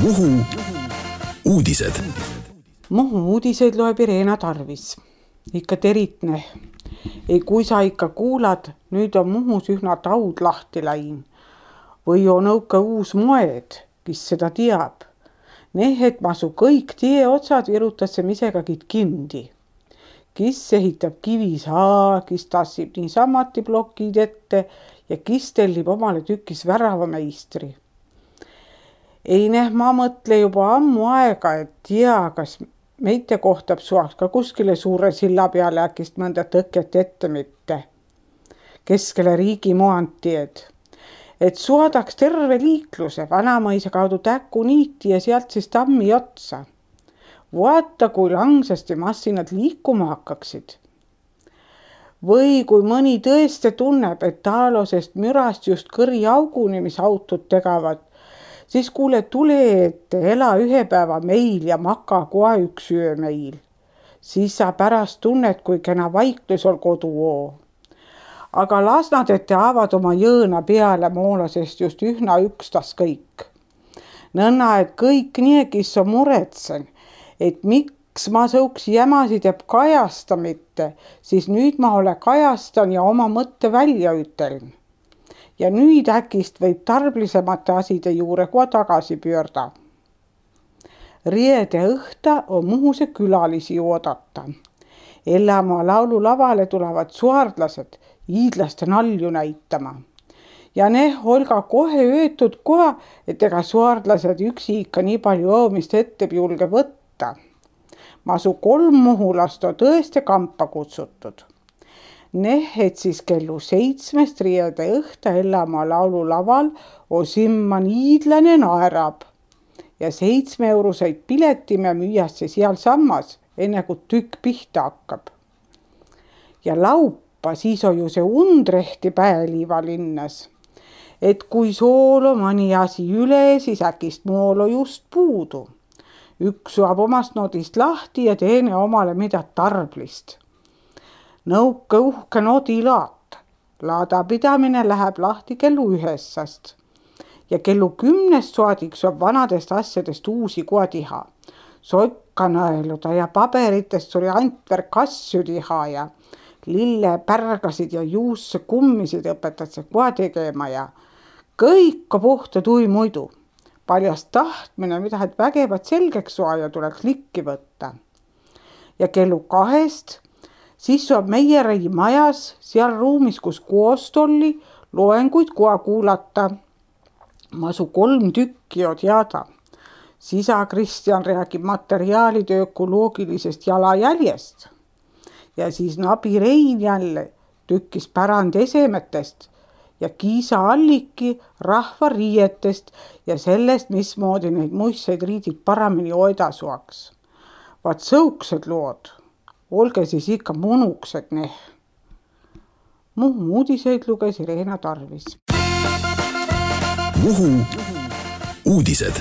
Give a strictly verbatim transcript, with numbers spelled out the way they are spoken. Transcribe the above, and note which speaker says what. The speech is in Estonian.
Speaker 1: Muhu uudised.
Speaker 2: Muhu uudiseid loeb Irena Tarvis. Ikka teritne. Ei, kui sa ikka kuulad, nüüd on Muhus ühna taud lahti läin. Või on õuke uus moed, kes seda teab. Nehet masu kõik tie otsad virutas see misegagid kindi. Kis ehitab kivisaa, kis tassib nii samati plokid ette ja kis tellib omale tükis väravameistri. Ei neh, ma mõtle juba ammu aega, et tea, kas meite kohtab suaks ka kuskile suure silla peale äkist mõnda tõket ette mitte. Keskele riigi moantied. Et suadaks terve liikluse Vanamõisa kaudu Täku niiti ja sealt siis tammi otsa. Vaata, kui langsasti massinad liikuma hakkaksid. Või kui mõni tõeste tunneb, et taalosest mürast just kõri auguni, mis autud tegavad, siis kuule tule ette, ela ühe päeva meil ja maka kohe üks öö meil. Siis sa pärast tunnet, kui kena vaiklus ol koduoo. Aga las nad ette avad oma jõõna peale moolasest just ühna ükstas kõik. Nõnna, et kõik nii, kes on muretsen, et miks ma sõuks jämasid jääb kajasta mitte, siis nüüd ma ole kajastan ja oma mõtte välja üteln. Ja nüüd äkist võib tarblisemate aside juure kohe tagasi pöörda. Riede õhta on Muhuse külalisi oodata. Ellamaa laululavale tulevad suardlased iidlaste nalju näitama. Ja neh olga kohe öötud kohe, et ega suardlased üksi ikka nii palju õomist ette julge võtta. Masu kolm muhulast on tõeste kampa kutsutud. Neh, et siis kellu seitsmest riede õhta Ellamaa laululaval osimman iidlane naerab. Ja seitsme euroseid piletime müüasse seal sammas, enne kui tükk pihta hakkab. Ja laupa siis on ju see undrehti päeliiva linnas. Et kui soolo mõni asi üle, siis äkist moolo just puudu. Üks suab omast nodist lahti ja teine omale mida tarblist. Nõuke uhke nodilaat. Laada pidamine läheb lahti kellu ühessast. Ja kellu kümnest soadiks on vanadest asjadest uusi koa tiha. Sokka nõeluda ja paberitest suri Antver kassu tiha ja lille pärgasid ja juusse kummisid õpetad see koa tegema ja kõika puhta tui muidu. Paljast tahtmine, mida et vägevat selgeks soa ja tuleks likki võtta. Ja kellu kahest siis on meie rei majas, seal ruumis, kus koost oli, loenguid koha kuulata. Masu kolm tükki on teada. Sisa Kristjan räägib materiaalide ökoloogilisest jalajäljest. Ja siis nabi Rein jälle tükkis pärand esemetest ja Kiisa Alliki rahva riietest ja sellest, mismoodi neid muistseid riidid paramini hoida suaks. Vaat sõuksed lood. Olge siis ikka munuksed neh. Muhu uudiseid luges Irena Tarvis.
Speaker 1: Muhu uudised.